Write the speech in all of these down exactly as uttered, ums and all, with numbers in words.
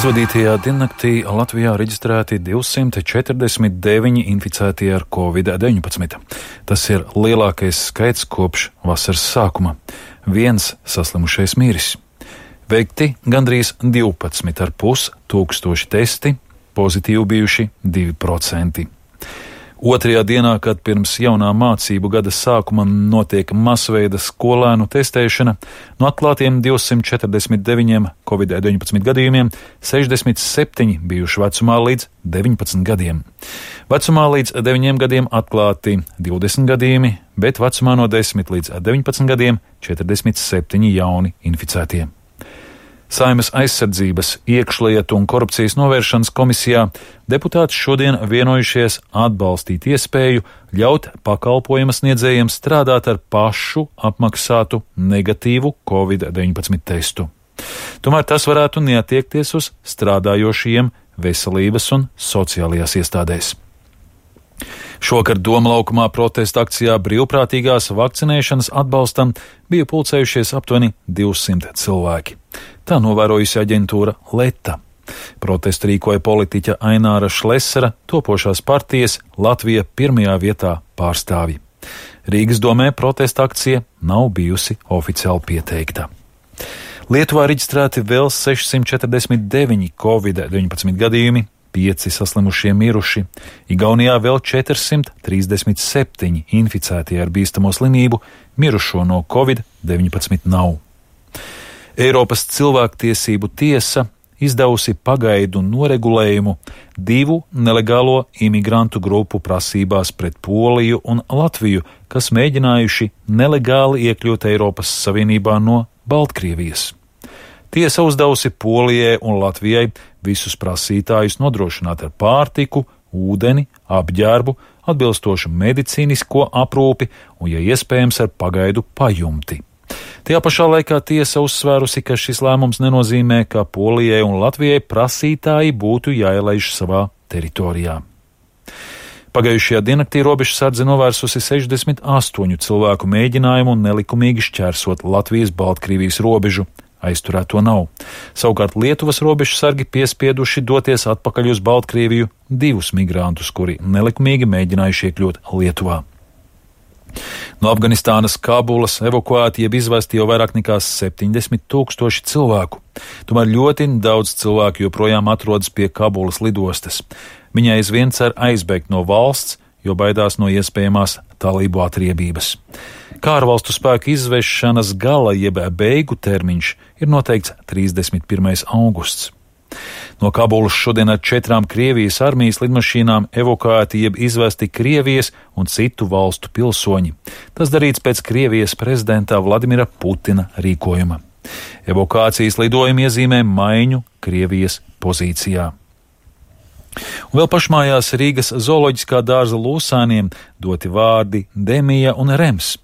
Aizvadītajā diennaktī Latvijā reģistrēti divsimt četrdesmit deviņi inficētie ar covid deviņpadsmit. Tas ir lielākais skaits kopš vasaras sākuma. Viens saslimušais miris. Veikti gandrīz divpadsmit ar pus tūkstoši testi, pozitīvi bijuši divi procenti. Otrajā dienā, kad pirms jaunā mācību gada sākuma notiek masveida skolēnu testēšana, no atklātiem divsimt četrdesmit deviņiem covid deviņpadsmit gadījumiem sešdesmit septiņi bijuši vecumā līdz deviņpadsmit gadiem. Vecumā līdz deviņiem gadiem atklāti divdesmit gadījumi, bet vecumā no desmit līdz deviņpadsmit gadiem četrdesmit septiņi jauni inficētie. Saeimas aizsardzības, iekšlietu un korupcijas novēršanas komisijā deputāti šodien vienojušies atbalstīt iespēju ļaut pakalpojuma sniedzējiem strādāt ar pašu apmaksātu negatīvu covid deviņpadsmit testu. Tomēr tas varētu neatiekties uz strādājošajiem veselības un sociālajās iestādēs. Šokar Doma laukumā protesta akcijā brīvprātīgās vakcinēšanas atbalstam bija pulcējušies aptuveni divsimt cilvēki. Tā novērojusi aģentūra Leta. Protestu rīkoja politiķa Aināra Šlesera, topošās partijas Latvija pirmajā vietā pārstāvji. Rīgas domē protesta akcija nav bijusi oficiāli pieteikta. Lietuvā reģistrēti vēl sešsimt četrdesmit deviņi covid deviņpadsmit gadījumi, pieci saslimušie miruši, Igaunijā vēl četrsimt trīsdesmit septiņi inficētie ar bīstamo slimību, mirušo no covid deviņpadsmit nav. Eiropas cilvēktiesību tiesa izdevusi pagaidu noregulējumu divu nelegālo imigrantu grupu prasībās pret Poliju un Latviju, kas mēģinājuši nelegāli iekļūt Eiropas Savienībā no Baltkrievijas. Tiesa uzdevusi Polijai un Latvijai visus prasītājus nodrošināt ar pārtiku, ūdeni, apģērbu, atbilstošu medicīnisko aprūpi un, ja iespējams, ar pagaidu pajumti. Tajā pašā laikā tiesa uzsvērusi, ka šis lēmums nenozīmē, ka Polijai un Latvijai prasītāji būtu jāielaiž savā teritorijā. Pagājušajā diennaktī robežsardze novērsusi sešdesmit astoņu cilvēku mēģinājumu nelikumīgi šķērsot Latvijas-Baltkrievijas robežu. Aizturēto nav. Savukārt Lietuvas robežsargi piespieduši doties atpakaļ uz Baltkrieviju divus migrantus, kuri nelikumīgi mēģinājuši iekļūt Lietuvā. No Afganistānas Kabulas evakuēti jeb izvesti jau vairāk nekā septiņdesmit tūkstoši cilvēku. Tomēr ļoti daudz cilvēku joprojām atrodas pie Kabulas lidostas. Viņi aizvien cer aizbēgt no valsts, jo baidās no iespējamās talību atriebības. Kā ārvalstu spēku izvešanas gala jeb beigu termiņš ir noteikts trīsdesmit pirmais augusts. No Kabulas šodien ar četrām Krievijas armijas lidmašīnām evakuēti jeb izvesti Krievijas un citu valstu pilsoņi. Tas darīts pēc Krievijas prezidenta Vladimira Putina rīkojuma. Evakuācijas lidojumi iezīmē maiņu Krievijas pozīcijā. Un vēl pašmājās Rīgas zooloģiskā dārza lūsāniem doti vārdi Demija un Rems.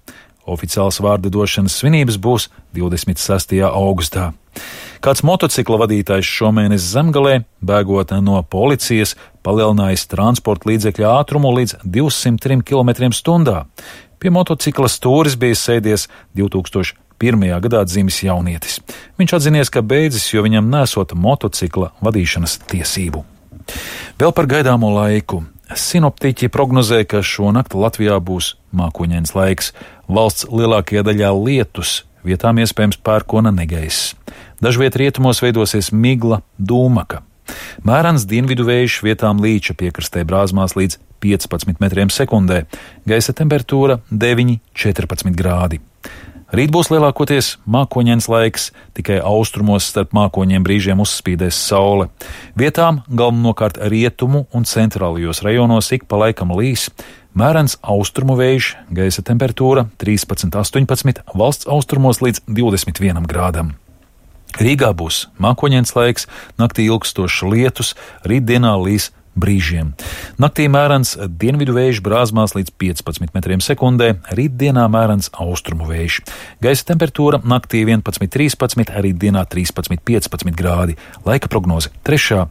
Oficiāls vārda došanas svinības būs divdesmit sestajā augustā. Kāds motocikla vadītājs šomēnes Zemgalē, bēgot no policijas, palielinājis transporta līdzekļa ātrumu līdz divsimt trim kilometriem stundā. Pie motocikla stūris bija sēdies divi tūkstoši pirmajā gadā dzimis jaunietis. Viņš atzinies, ka beidzis, jo viņam nesot motocikla vadīšanas tiesību. Vēl par gaidāmo laiku. Sinoptiķi prognozē, ka šonakt Latvijā būs mākoņains laiks. Valsts lielākajā daļā lietus, vietām iespējams pērkona negaiss. Dažviet rietumos veidosies migla, dūmaka. Mērens dienvidu vējš vietām līča piekrastē brāzmās līdz piecpadsmit metriem sekundē. Gaisa temperatūra deviņi līdz četrpadsmit grādi. Rīt būs lielākoties mākoņains laiks, tikai austrumos starp mākoņiem brīžiem uzspīdēs saule. Vietām galvenokārt rietumu un centrālajos rajonos ik pa laikam līs. Mērens austrumu vējš, gaisa temperatūra trīspadsmit līdz astoņpadsmit, valsts austrumos līdz divdesmit vienam grādam. Rīgā būs mākoņains laiks, naktī ilgstošs lietus, rītdienā līs brīžiem. Naktī mērens dienvidu vējš brāzmās līdz piecpadsmit metriem sekundē, rītdienā mērens austrumu vējš. Gaisa temperatūra naktī vienpadsmit līdz trīspadsmit, rītdienā trīspadsmit līdz piecpadsmit grādi. Laika prognoze trešā